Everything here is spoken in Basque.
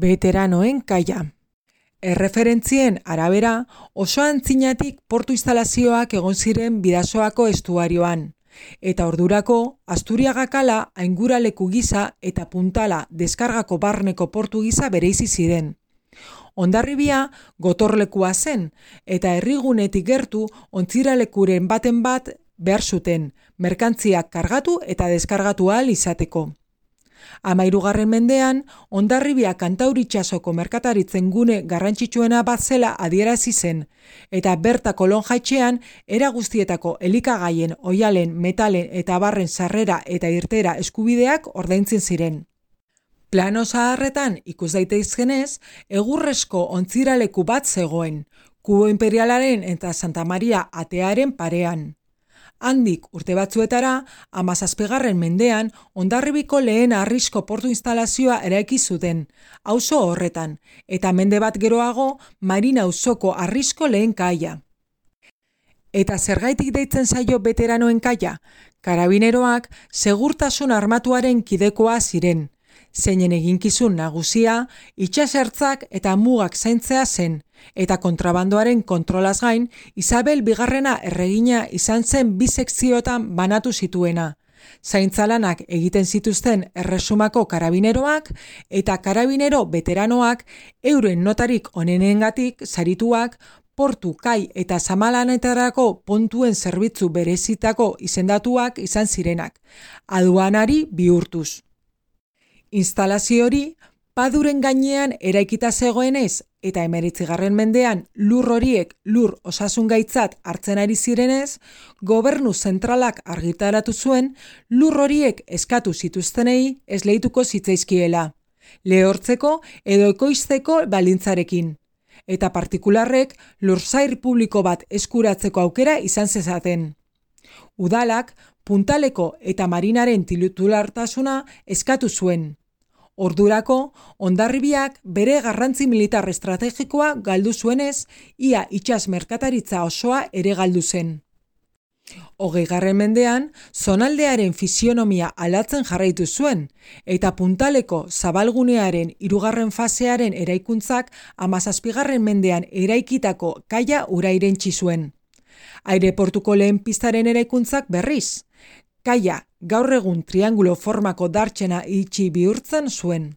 Veteranoen kaia. Erreferentzien arabera, oso antzinatik portu instalazioak egon ziren Bidasoako estuarioan, eta ordurako Asturiaga kala ainguraleku gisa eta Puntala deskargako barneko portu gisa bereizi ziren. Hondarribia gotorlekua zen, eta herrigunetik gertu ontziralekuren baten bat behar zuten, merkantziak kargatu eta deskargatu ahal izateko. 13. mendean, Hondarribia Kantauri itsasoko merkataritzen gune garrantzitsuena bat zela adierazi zen, eta berta kolon jaitxean era guztietako elikagaien, oihalen, metalen eta barren sarrera eta irtera eskubideak ordaintzen ziren. Plano zaharretan ikus daitezkenez, egurrezko ontziraleku bat zegoen, Kubo Imperialaren eta Santa Maria atearen parean. Handik urte batzuetara, 17. mendean, Hondarribiko lehen harrizko portu instalazioa eraiki zuten, auzo horretan, eta mende bat geroago, Marina auzoko harrizko lehen kaia. Eta zergaitik deitzen zaio veteranoen kaia? Karabineroak segurtasun armatuaren kidekoa ziren, zeinen eginkizun nagusia, itsasertzak eta mugak zaintzea zen, eta kontrabandoaren kontrolaz gain, Isabel Bigarrena erregina izan zen 2 sekzioetan banatu zituena. Zaintzalanak egiten zituzten erresumako karabineroak eta karabinero veteranoak euren notarik onenengatik sarituak, portu, kai eta zamalanetarako pontuen zerbitzu berezitako izendatuak izan zirenak, aduanari bihurtuz. Instalazio hori paduren gainean eraikita zegoenez eta 19. mendean lur horiek lur osasungaitzat hartzen ari zirenez, gobernu zentralak argitaratu zuen lur horiek eskatu zituztenei esleituko zitzaizkiela, lehortzeko edo ekoizteko baldintzarekin, eta partikularrek lursail publiko bat eskuratzeko aukera izan zezaten. Udalak Puntaleko eta Marinaren titulartasuna eskatu zuen. Ordurako, Hondarribiak bere garrantzi militar estrategikoa galdu zuenez, ia itsas merkataritza osoa ere galdu zen. 20. mendean, zonaldearen fisionomia aldatzen jarraitu zuen, eta Puntaleko zabalgunearen 3. fasearen eraikuntzak 17. mendean eraikitako kaia ura irentsi zuen. Aireportuko lehen pistaren eraikuntzak berriz, kaia gaur egun triangulo formako dartxena itxi bihurtzen zuen.